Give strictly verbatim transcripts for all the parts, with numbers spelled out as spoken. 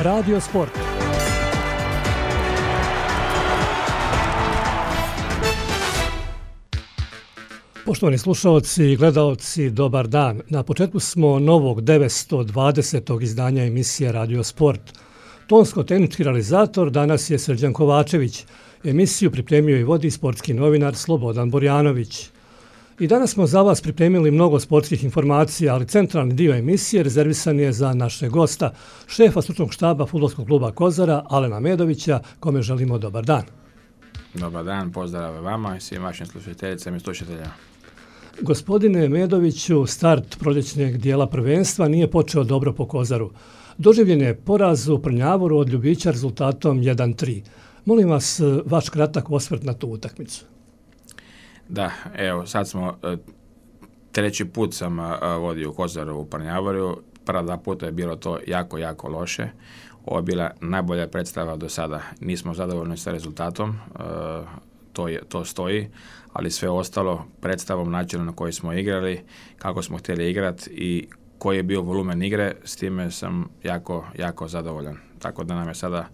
Radio Sport. Poštovani slušalci i gledaoci, dobar dan. Na početku smo novog devetsto dvadesetog izdanja emisije Radio Sport. Tonsko-tehnički realizator danas je Srđan Kovačević. Emisiju pripremio i vodi sportski novinar Slobodan Borjanović. I danas smo za vas pripremili mnogo sportskih informacija, ali centralni dio emisije rezervisan je za našeg gosta, šefa stručnog štaba Fudbalskog kluba Kozara, Alena Medovića, kome želimo dobar dan. Dobar dan, pozdrav vama i svim vašim slušateljicama i slušateljima. Gospodine Medoviću, start proljećnjeg dijela prvenstva nije počeo dobro po Kozaru. Doživljen je poraz u Prnjavoru od Ljubića rezultatom jedan tri. Molim vas vaš kratak osvrt na tu utakmicu. Da, evo, sad smo, treći put sam vodio u Kozaru u Prnjavoru. Prva dva puta je bilo to jako, jako loše. Ovo je bila najbolja predstava do sada. Nismo zadovoljni sa rezultatom, to, je, to stoji, ali sve ostalo predstavom, načinom na koji smo igrali, kako smo htjeli igrati i koji je bio volumen igre, s time sam jako, jako zadovoljan. Tako da nam je sada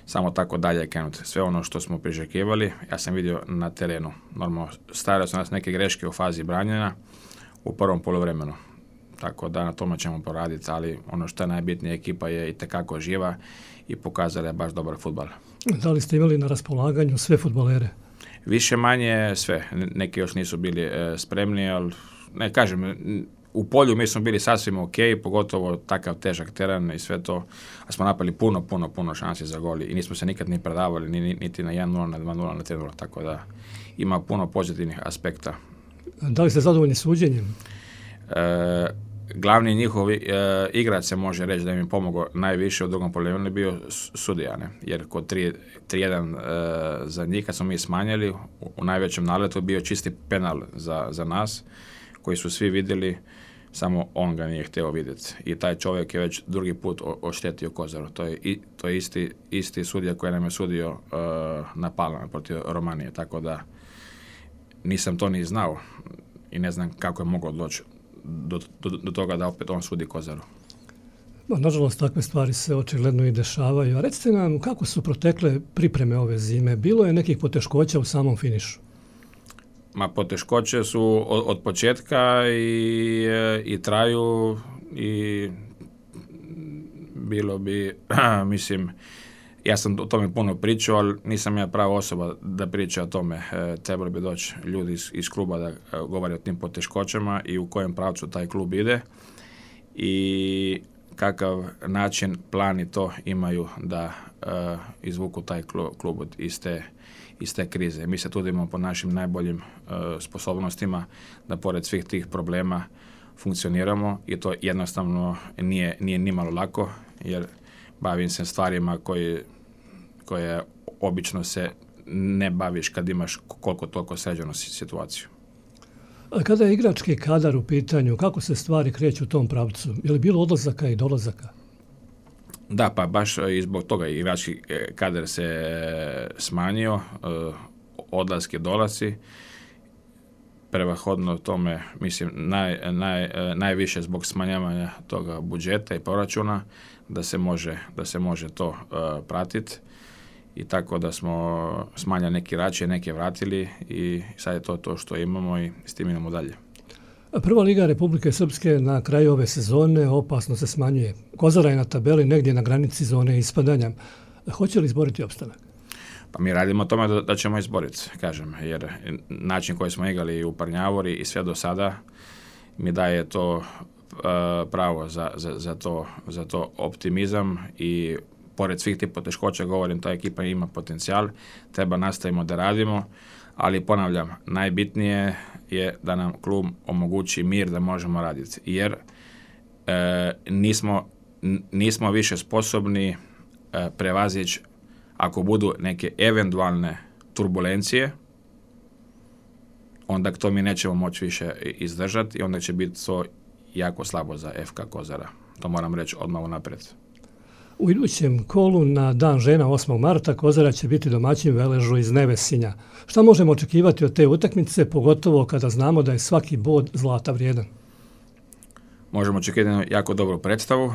samo tako dalje krenuti. Sve ono što smo priželjkivali, ja sam vidio na terenu. Normalno, stavili su nas neke greške u fazi branjenja u prvom poluvremenu. Tako da na tome ćemo poraditi, ali ono što je najbitnije, ekipa je itekako živa i pokazala je baš dobar fudbal. Da li ste imali na raspolaganju sve fudbalere? Više manje sve. Neki još nisu bili e, spremni, ali ne kažem, u polju mi smo bili sasvim ok, pogotovo takav težak teren i sve to, a smo napali puno, puno, puno šansi za goli i nismo se nikad ni predavali, ni, niti na jedan nula, na dva nula, na tri nula, tako da ima puno pozitivnih aspekta. Da li ste zadovoljni suđenjem? E, glavni njihovi e, igrač se može reći da im je pomogao najviše u drugom poluvremenu je bio sudija, ne? Jer kod tri jedan e, za njih kad smo mi smanjili, u, u najvećem naletu bio čisti penal za, za nas, koji su svi vidjeli, samo on ga nije htio vidjeti. I taj čovjek je već drugi put oštetio Kozaru. To je, i, to je isti, isti sudija koji nam je sudio uh, na Palama protiv Romanije. Tako da nisam to ni znao i ne znam kako je moglo doći do, do, do toga da opet on sudi Kozaru. No, nažalost, takve stvari se očigledno i dešavaju. A recite nam, kako su protekle pripreme ove zime? Bilo je nekih poteškoća u samom finišu? Ma poteškoće su od, od početka i, i traju i bilo bi, mislim, ja sam o tome puno pričao, ali nisam ja prava osoba da priča o tome. E, trebali bi doći ljudi iz, iz kluba da govore o tim poteškoćama i u kojem pravcu taj klub ide i kakav način, plan i to imaju da e, izvuku taj klub, klub iz te iz te krize. Mi se trudimo po našim najboljim uh, sposobnostima da pored svih tih problema funkcioniramo i to jednostavno nije, nije nimalo lako, jer bavim se stvarima koje, koje obično se ne baviš kad imaš koliko toliko sređenu situaciju. A kada je igrački kadar u pitanju, kako se stvari kreću u tom pravcu? Je li bilo odlazaka i dolazaka? Da, pa baš i zbog toga igrački kadar se smanjio, odlaske, dolasci, prevahodno tome, mislim, naj, naj, najviše zbog smanjavanja toga budžeta i proračuna, da se može, da se može to uh, pratiti i tako da smo smanjali neki igrače, neke vratili i sad je to to što imamo i s tim idemo dalje. Prva liga Republike Srpske na kraju ove sezone opasno se smanjuje. Kozara je na tabeli negdje na granici zone ispadanja. Hoće li izboriti opstanak? Pa mi radimo o tome da, da ćemo izboriti, kažem, jer način koji smo igrali u Prnjavori i sve do sada mi daje to uh, pravo za, za, za, to, za to optimizam i pored svih tih poteškoća, govorim, ta ekipa ima potencijal, treba nastavimo da radimo, ali ponavljam, najbitnije je da nam klub omogući mir da možemo raditi, jer e, nismo, nismo više sposobni e, prevazići ako budu neke eventualne turbulencije, onda to mi nećemo moći više izdržati i onda će biti to jako slabo za F K Kozara. To moram reći odmah unaprijed. U idućem kolu na Dan žena osmog marta Kozara će biti domaćin Veležu iz Nevesinja. Šta možemo očekivati od te utakmice, pogotovo kada znamo da je svaki bod zlata vrijedan? možemo očekivati jako dobru predstavu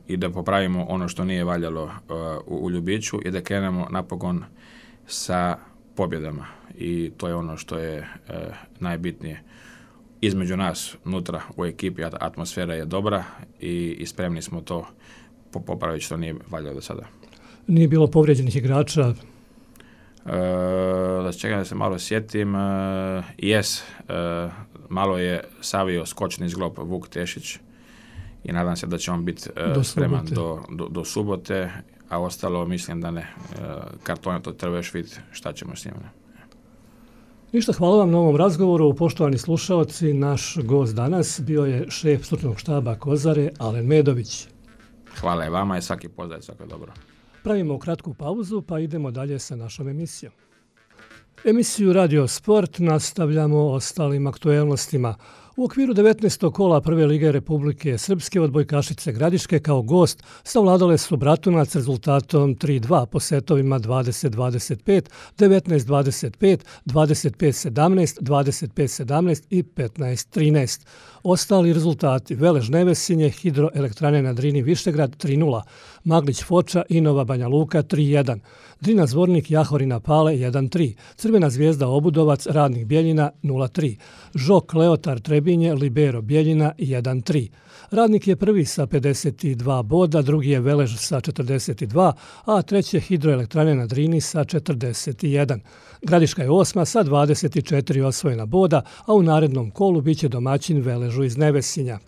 i da popravimo ono što nije valjalo uh, u, u Ljubiću i da krenemo napokon sa pobjedama. I to je ono što je uh, najbitnije. Između nas, unutra u ekipi, atmosfera je dobra i, i spremni smo to popraviti što nije valjalo do sada. Nije bilo povrijeđenih igrača? Uh, da čekam da se malo sjetim, uh, jes, uh, malo je savio skočni zglob Vuk Tešić i nadam se da će on biti uh, do spreman do, do, do subote, a ostalo mislim da ne. Uh, kartone to treba još vidjeti šta ćemo s njima. Ništa, hvala vam na ovom razgovoru. Poštovani slušaoci, naš gost danas bio je šef stručnog štaba Kozare, Alen Medović. Hvala i vama i svaki pozdrav, svako dobro. Pravimo kratku pauzu pa idemo dalje sa našom emisijom. Emisiju Radio Sport nastavljamo ostalim aktuelnostima. U okviru devetnaestog kola Prve lige Republike Srpske odbojkašice Gradiške kao gost savladale su Bratunac rezultatom tri dva po setovima dvadeset dvadeset pet, devetnaest dvadeset pet, dvadeset pet sedamnaest, dvadeset pet sedamnaest i petnaest trinaest. Ostali rezultati: Velež Nevesinje, Hidroelektrane na Drini Višegrad tri nula, Maglić Foča i Nova Banja Luka tri jedan, Drina Zvornik Jahorina Pale jedan tri, Crvena Zvijezda Obudovac Radnik Bjeljina nula tri, Žok Leotar Trebinje Libero Bjeljina jedan tri. Radnik je prvi sa pedeset dva boda, drugi je Velež sa četrdeset dva, a treće Hidroelektrane na Drini sa četrdeset jedan. Gradiška je osma sa dvadeset četiri osvojena boda, a u narednom kolu biće domaćin Veležu iz Nevesinja.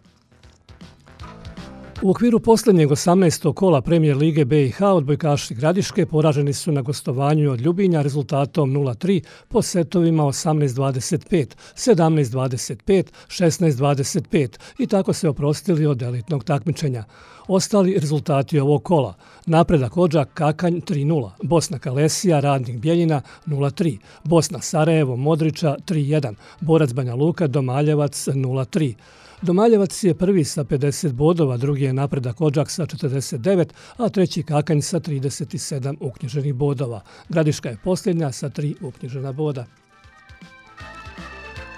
U okviru posljednjeg osamnaestog kola Premijer lige B i H odbojkaši Gradiške poraženi su na gostovanju od Ljubinja rezultatom nula tri po setovima osamnaest dvadeset pet, sedamnaest dvadeset pet, šesnaest dvadeset pet i tako se oprostili od elitnog takmičenja. Ostali rezultati ovog kola: Napredak Odžak Kakanj tri nula, Bosna Kalesija Radnik Bjeljina nula tri, Bosna Sarajevo Modriča tri jedan, Borac Banja Luka Domaljevac nula tri. Domaljevac je prvi sa pedeset bodova, drugi je Napredak Odžak sa četrdeset devet, a treći Kakanj sa trideset sedam uknjiženih bodova. Gradiška je posljednja sa tri uknjižena boda.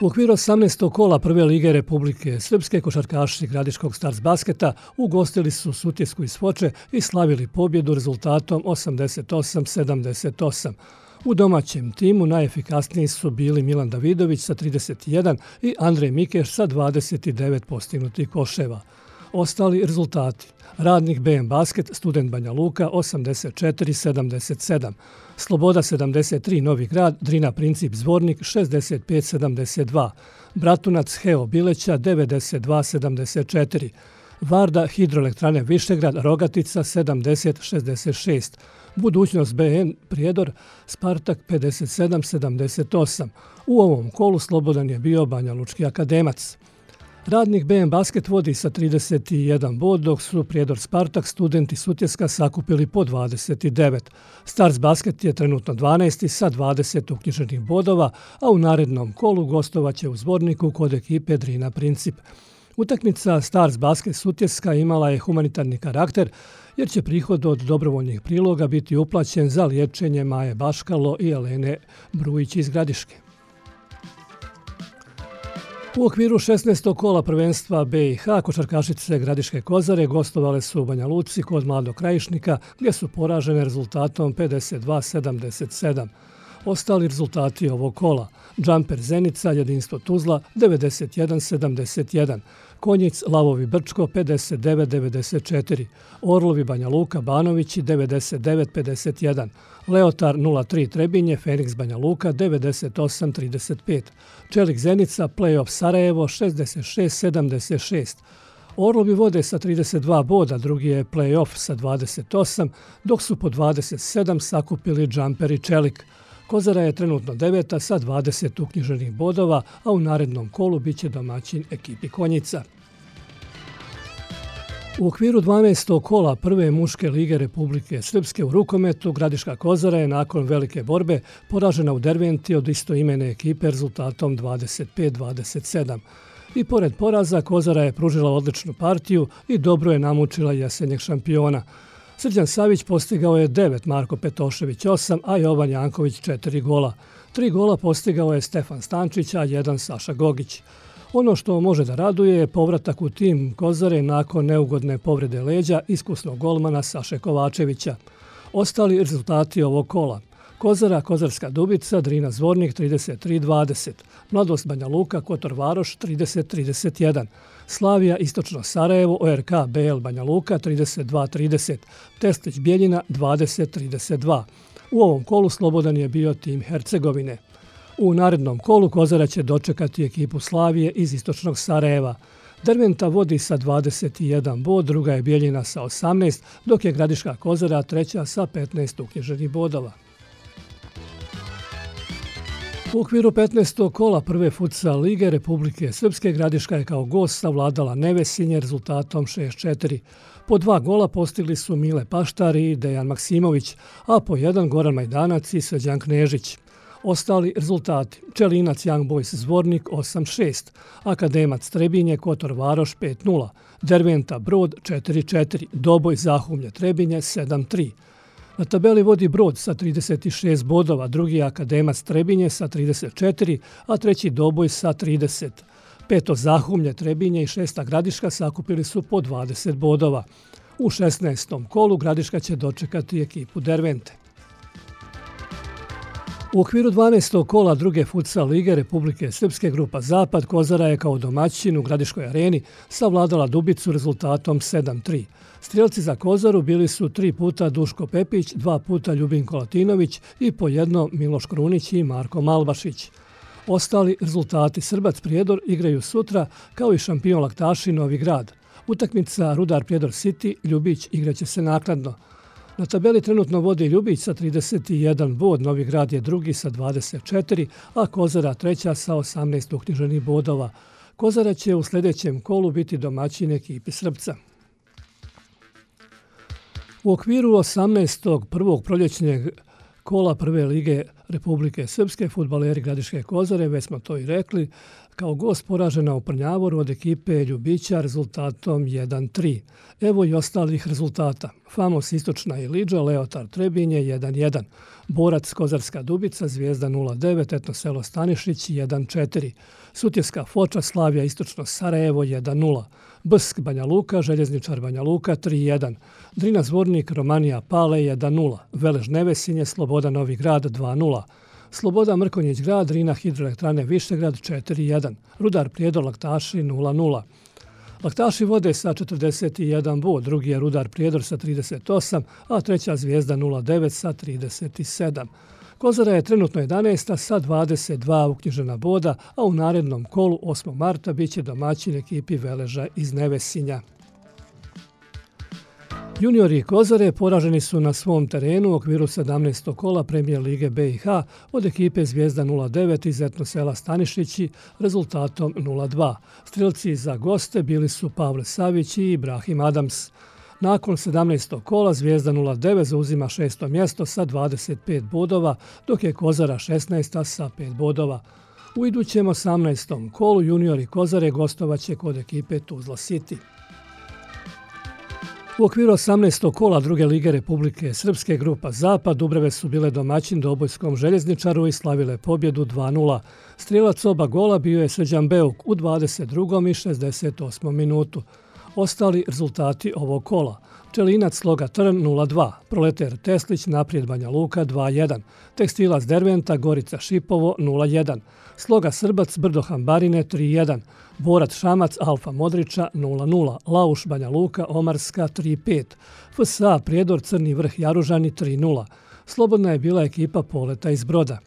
U okviru osamnaestog kola Prve lige Republike Srpske košarkaši Gradiškog Stars Basketa ugostili su Sutjesku iz Foče i slavili pobjedu rezultatom osamdeset osam sedamdeset osam. U domaćem timu najefikasniji su bili Milan Davidović sa trideset jedan i Andrej Mikeš sa dvadeset devet postignutih koševa. Ostali rezultati: Radnik B M Basket Student Banja Luka osamdeset četiri sedamdeset sedam, Sloboda sedamdeset tri Novi Grad Drina Princip Zvornik šezdeset pet sedamdeset dva, Bratunac Heo Bileća devedeset dva sedamdeset četiri, Varda Hidroelektrane Višegrad Rogatica sedamdeset šezdeset šest, Budućnost B N Prijedor Spartak pedeset sedam sedamdeset osam. U ovom kolu slobodan je bio Banja Lučki Akademac. Radnik B M Basket vodi sa trideset jedan bod, dok su Prijedor Spartak, Student i Sutjeska sakupili po dvadeset devet. Stars Basket je trenutno dvanaesti sa dvadeset uknjiženih bodova, a u narednom kolu gostovaće u Zvorniku kod ekipe Drina Princip. Utakmica Stars Basket Sutjeska imala je humanitarni karakter, jer će prihod od dobrovoljnih priloga biti uplaćen za liječenje Maje Baškalo i Elene Brujić iz Gradiške. U okviru šesnaestog kola prvenstva B i H košarkašice Gradiške Kozare gostovale su u Banja Luci kod Mladog Krajišnika, gdje su poražene rezultatom pedeset dva sedamdeset sedam. Ostali rezultati ovog kola: Džamper Zenica Jedinstvo Tuzla devedeset jedan sedamdeset jedan, Konjic Lavovi Brčko pedeset devet devedeset četiri, Orlovi Banja Luka Banovići devedeset devet pedeset jedan, Leotar nula tri Trebinje Feniks Banja Luka devedeset osam trideset pet, Čelik Zenica Playoff Sarajevo šezdeset šest sedamdeset šest. Orlovi vode sa trideset dva boda, drugi je Playoff sa dvadeset osam, dok su po dvadeset sedam sakupili Džamper i Čelik. Kozara je trenutno deveta sa dvadeset uknjiženih bodova, a u narednom kolu biće domaćin ekipi Konjica. U okviru dvanaestog kola Prve muške lige Republike Srpske u rukometu Gradiška Kozara je nakon velike borbe poražena u Derventi od istoimene ekipe rezultatom dvadeset pet dvadeset sedam. I pored poraza Kozara je pružila odličnu partiju i dobro je namučila jesenjeg šampiona. Srđan Savić postigao je devet, Marko Petošević osam, a Jovan Janković četiri gola. Tri gola postigao je Stefan Stančić, a jedan Saša Gogić. Ono što može da raduje je povratak u tim Kozare nakon neugodne povrede leđa iskusnog golmana Saše Kovačevića. Ostali rezultati ovog kola: Kozara, Kozarska Dubica, Drina Zvornik trideset tri dvadeset, Mladost Banja Luka, Kotor Varoš trideset trideset jedan, Slavija Istočno Sarajevo, O R K B L Banja Luka trideset dva trideset, Testić Bjeljina dvadeset trideset dva. U ovom kolu slobodan je bio tim Hercegovine. U narednom kolu Kozara će dočekati ekipu Slavije iz Istočnog Sarajeva. Derventa vodi sa dvadeset jedan bod, druga je Bjeljina sa osamnaest, dok je Gradiška Kozara treća sa petnaest uknjiženih bodova. U okviru petnaestog kola prve futsal lige Republike Srpske Gradiška je kao gost savladala Nevesinje rezultatom šest četiri. Po dva gola postigli su Mile Paštar i Dejan Maksimović, a po jedan Goran Majdanac i Srđan Knežić. Ostali rezultati: Čelinac Young Boys Zvornik osam šest, Akademac Trebinje Kotor Varoš pet nula, Derventa Brod četiri četiri, Doboj Zahumlje Trebinje sedam tri. Na tabeli vodi Brod sa trideset šest bodova, drugi je Akademac Trebinje sa trideset četiri, a treći Doboj sa trideset. Peto Zahumlje Trebinje i šesta Gradiška sakupili su po dvadeset bodova. U šesnaestom kolu Gradiška će dočekati ekipu Dervente. U okviru dvanaestog kola druge futsal lige Republike Srpske grupa Zapad Kozara je kao domaćin u Gradiškoj areni savladala Dubicu rezultatom sedam tri. Strijelci za Kozaru bili su tri puta Duško Pepić, dva puta Ljubinko Latinović i po jedno Miloš Krunić i Marko Malbašić. Ostali rezultati: Srbac Prijedor igraju sutra kao i šampion Laktaši Novi Grad. Utakmica Rudar Prijedor City Ljubić igraće se naknadno. Na tabeli trenutno vodi Ljubić sa trideset jedan bod, Novi Grad je drugi sa dvadeset četiri, a Kozara treća sa osamnaest uknjiženih bodova. Kozara će u sljedećem kolu biti domaćin ekipi Srpca. U okviru osamnaestog prvog proljećnjeg kola prve lige Republike Srpske fudbaleri Gradiške Kozare, već smo to i rekli, kao gost poražena u Prnjavoru od ekipe Ljubića rezultatom jedan tri. Evo i ostalih rezultata: Famos Istočna Ilidža, Leotar Trebinje jedan jedan, Borac Kozarska Dubica, Zvijezda nula devet, Etno selo Stanišić jedan četiri, Sutjeska Foča, Slavija Istočno Sarajevo jedan nula, Bsk Banja Luka, Željezničar Banja Luka tri jedan, Drina Zvornik, Romanija Pale jedan nula, Velež Nevesinje, Sloboda Novi Grad dva nula, Sloboda Mrkonjić Grad, Drina Hidroelektrane Višegrad četiri jedan, Rudar Prijedor Laktaši nula nula. Laktaši vode sa četrdeset jedan bod, drugi je Rudar Prijedor sa trideset osam, a treća Zvijezda nula devet sa trideset sedam. Kozara je trenutno jedanaesta sa dvadeset dva uknjižena boda, a u narednom kolu osmog marta biće domaćin ekipi Veleža iz Nevesinja. Juniori Kozare poraženi su na svom terenu u okviru sedamnaestog kola Premijer Lige B i H od ekipe Zvijezda nula devet iz Etno sela Stanišići rezultatom nula dva. Strijelci za goste bili su Pavle Savić i Ibrahim Adams. Nakon sedamnaestog kola Zvijezda nula devet zauzima šesto mjesto sa dvadeset pet bodova, dok je Kozara šesnaesta sa pet bodova. U idućem osamnaestom kolu juniori Kozare gostovaće kod ekipe Tuzla City. U okviru osamnaestog kola druge lige Republike Srpske grupa Zapad Dubrave su bile domaćin Dobojskom Željezničaru i slavile pobjedu dva nula. Strijelac oba gola bio je Srđan Beuk u dvadeset drugom i šezdeset osmom minutu. Ostali rezultati ovog kola: Čelinac Sloga Trn nula dva, Proleter Teslić Naprijed Banja Luka dva jedan, Tekstilac Derventa Gorica Šipovo nula jedan, Sloga Srbac Brdo Hambarine tri jedan, Borac Šamac Alfa Modriča nula nula, Lauš Banja Luka Omarska tri pet, F S A Prijedor Crni Vrh Jaružani tri nula. Slobodna je bila ekipa Poleta iz Broda.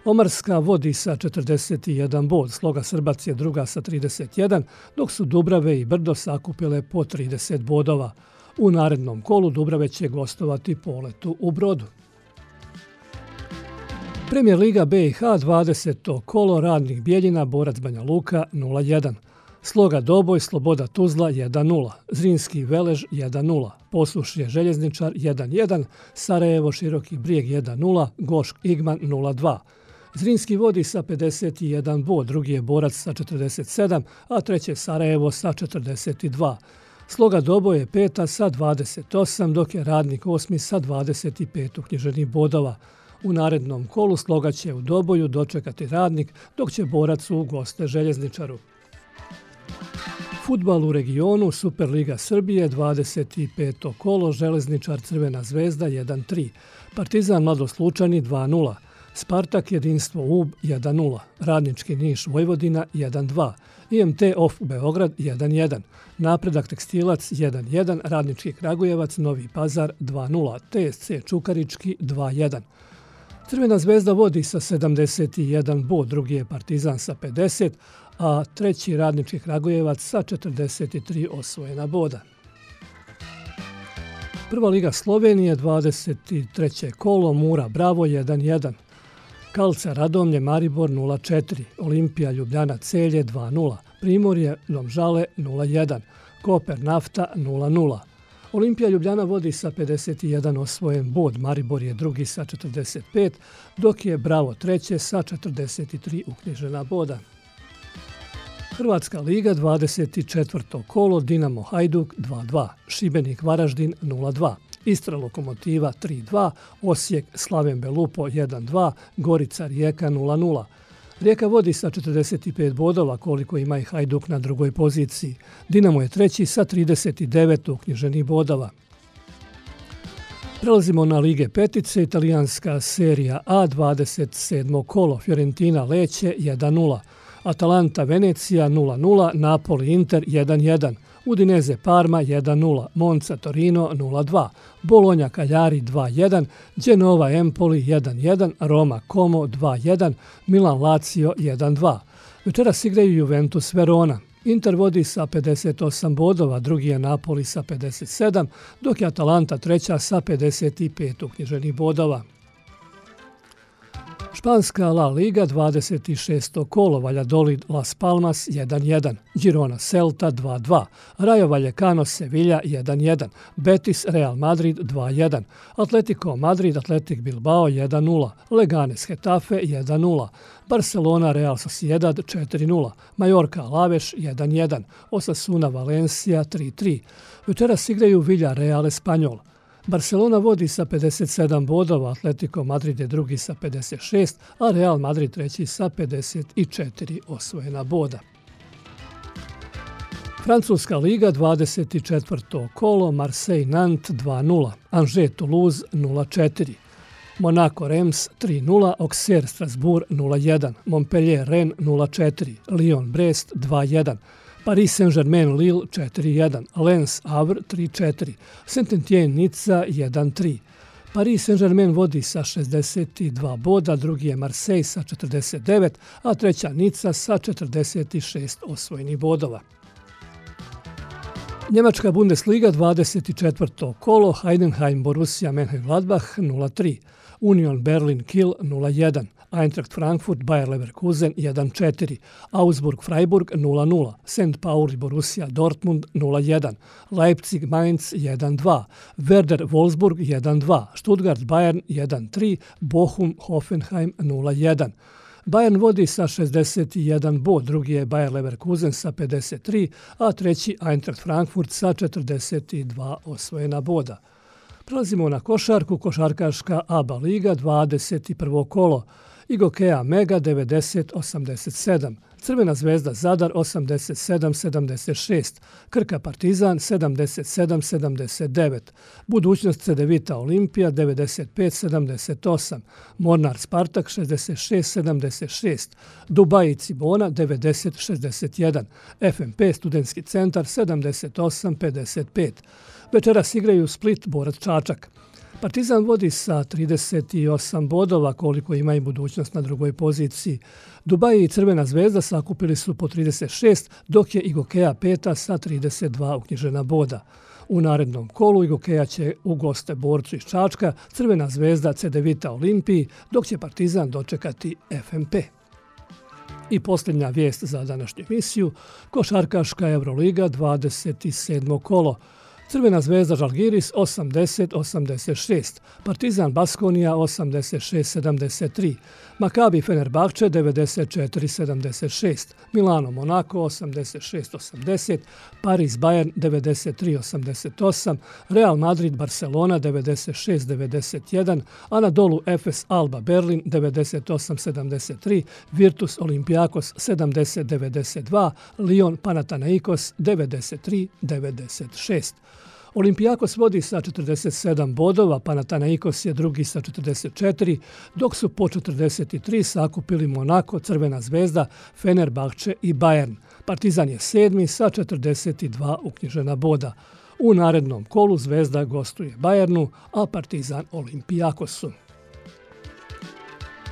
Omarska vodi sa četrdeset jedan bod, Sloga Srbac je druga sa trideset jedan, dok su Dubrave i Brdo sakupile po trideset bodova. U narednom kolu Dubrave će gostovati Poletu u Brodu. Premijer Liga B i H dvadeseto kolo Radnik Bijeljina Borac Banja Luka nula jedan, Sloga Doboj Sloboda Tuzla jedan nula, Zrinski Velež jedan nula, Poslušje Željezničar jedan jedan, Sarajevo Široki Brijeg jedan nula, Gošk Igman nula dva. Zrinski vodi sa pedeset jedan bod, drugi je Borac sa četrdeset sedam, a treće Sarajevo sa četrdeset dva. Sloga Doboj je peta sa dvadeset osam, dok je Radnik osmi sa dvadeset pet uknjiženih bodova. U narednom kolu Sloga će u Doboju dočekati Radnik, dok će Borac u goste Željezničaru. fudbalu u regionu Superliga Srbije, dvadeset peto kolo, Železničar Crvena zvezda jedan tri, Partizan Mladost Lučani dva nula, Spartak Jedinstvo Ub jedan nula, Radnički Niš Vojvodina jedan dva, I M T Off Beograd jedan jedan, Napredak Tekstilac jedan jedan, Radnički Kragujevac Novi Pazar dva nula, T S C Čukarički dva jedan. Crvena zvezda vodi sa sedamdeset jedan bod, drugi je Partizan sa pedeset, a treći Radnički Kragujevac sa četrdeset tri osvojena boda. Prva liga Slovenije, dvadeset treće kolo, Mura Bravo jedan jedan, Kalca Radomlje Maribor nula četiri, Olimpija Ljubljana Celje dva nula, Primorje Domžale nula jedan, Koper Nafta nula nula. Olimpija Ljubljana vodi sa pedeset jedan osvojen bod, Maribor je drugi sa četrdeset pet, dok je Bravo treće sa četrdeset tri uknjižena boda. Hrvatska liga, dvadeset četvrto kolo, Dinamo Hajduk dva dva, Šibenik Varaždin nula dva, Istra Lokomotiva tri dva, Osijek Slaven Belupo jedan dva, Gorica Rijeka nula nula. Rijeka vodi sa četrdeset pet bodova, koliko ima i Hajduk na drugoj poziciji. Dinamo je treći sa trideset devet uknjiženih bodova. Prelazimo na Lige petice, italijanska serija A, dvadeset sedmo kolo, Fiorentina Lecce jedan nula, Atalanta Venecija nula nula, Napoli Inter jedan jedan, Udinese Parma jedan nula, Monza Torino nula dva, Bologna Cagliari dva jedan, Genova Empoli jedan jedan, Roma Como dva jedan, Milan Lazio jedan dva. Večeras igraju Juventus Verona. Inter vodi sa pedeset osam bodova, drugi je Napoli sa pedeset sedam, dok je Atalanta treća sa pedeset pet uknjiženih bodova. Španska La Liga, dvadeset šesto kolo, Valladolid Las Palmas jedan jedan, Girona Celta dva dva, Rayo Vallecano Sevilla jedan jedan, Betis Real Madrid dva jedan, Atletico Madrid Athletic Bilbao jedan nula, Leganes Getafe jedan nula, Barcelona Real Sociedad četiri nula, Mallorca Alavés jedan jedan, Osasuna Valencia tri tri. Večeras igraju Villarreal Espanyol. Barcelona vodi sa pedeset sedam bodova, Atletico Madrid je drugi sa pedeset šest, a Real Madrid treći sa pedeset četiri osvojena boda. Francuska liga, dvadeset četvrto kolo, Marseille Nantes dva nula, Angers Toulouse nula četiri, Monaco Reims tri nula, Auxerre Strasbourg nula jedan, Montpellier Rennes nula četiri, Lyon Brest dva jedan, Paris Saint-Germain Lille četiri jedan, Lens Havre tri četiri, Saint-Étienne Nica jedan tri. Paris Saint-Germain vodi sa šezdeset dva boda, drugi je Marseille sa četrdeset devet, a treća Nica sa četrdeset šest osvojenih bodova. Njemačka Bundesliga, dvadeset četvrto kolo, Heidenheim Borussia Mönchengladbach nula tri, Union Berlin Kiel nula jedan, Eintracht Frankfurt Bayer Leverkusen jedan četiri, Augsburg Freiburg nula nula, Sankt Pauli Borussia Dortmund nula jedan, Leipzig Mainz jedan dva, Werder Wolfsburg jedan dva, Stuttgart Bayern jedan tri, Bochum Hoffenheim nula jedan. Bayern vodi sa šezdeset jedan bod, drugi je Bayer Leverkusen sa pedeset tri, a treći Eintracht Frankfurt sa četrdeset dva osvojena boda. Prelazimo na košarku, košarkaška A B A liga, dvadeset prvo kolo, Igokea Mega devedeset osamdeset sedam, Crvena zvezda Zadar osamdeset sedam sedamdeset šest, Krka Partizan sedamdeset sedam sedamdeset devet, Budućnost Cedevita Olimpija devedeset pet sedamdeset osam, Mornar Spartak šezdeset šest sedamdeset šest, Dubai Cibona devedeset šezdeset jedan, F M P Studentski centar sedamdeset osam pedeset pet. Večeras igraju Split Borac Čačak. Partizan vodi sa trideset osam bodova, koliko ima i Budućnost na drugoj poziciji. Dubai i Crvena zvezda sakupili su po trideset šest, dok je Igokea peta sa trideset dva uknjižena boda. U narednom kolu Igokea će u goste Borcu iz Čačka, Crvena zvezda Cedevita Olimpiji, dok će Partizan dočekati F M P. I posljednja vijest za današnju emisiju, košarkaška Euroliga, dvadeset sedmo kolo. Crvena zvezda Žalgiris osamdeset osamdeset šest, Partizan Baskonija osamdeset šest sedamdeset tri, Makabi Fenerbahče devedeset četiri sedamdeset šest, Milano Monako osamdeset šest osamdeset, Paris Bayern devedeset tri osamdeset osam, Real Madrid Barcelona devedeset šest devedeset jedan, Anadolu Efes Alba Berlin devedeset osam sedamdeset tri, Virtus Olympiakos sedamdeset devedeset dva, Lyon Panathinaikos devedeset tri devedeset šest. Olympiakos vodi sa četrdeset sedam bodova, Panathinaikos je drugi sa četrdeset četiri, dok su po četrdeset tri sakupili Monako, Crvena zvezda, Fenerbahče i Bayern. Partizan je sedmi sa četrdeset dva uknjižena boda. U narednom kolu Zvezda gostuje Bayernu, a Partizan Olympiakosu.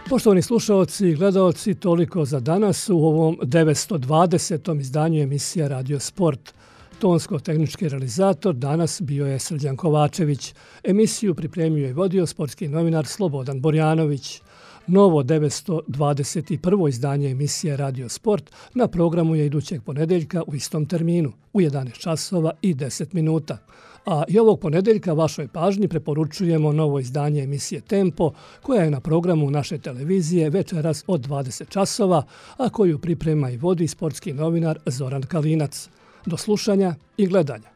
Poštovani slušaoci i gledaoci, toliko za danas u ovom devetsto dvadesetom izdanju emisija Radio Sport. Tonsko-tehnički realizator danas bio je Srđan Kovačević. Emisiju pripremio i vodio sportski novinar Slobodan Borjanović. Novo devetsto dvadeset prvo izdanje emisije Radio Sport na programu je idućeg ponedeljka u istom terminu, u jedanaest časova i deset minuta. A i ovog ponedeljka vašoj pažnji preporučujemo novo izdanje emisije Tempo, koja je na programu naše televizije večeras od dvadeset časova, a koju priprema i vodi sportski novinar Zoran Kalinac. Do slušanja i gledanja.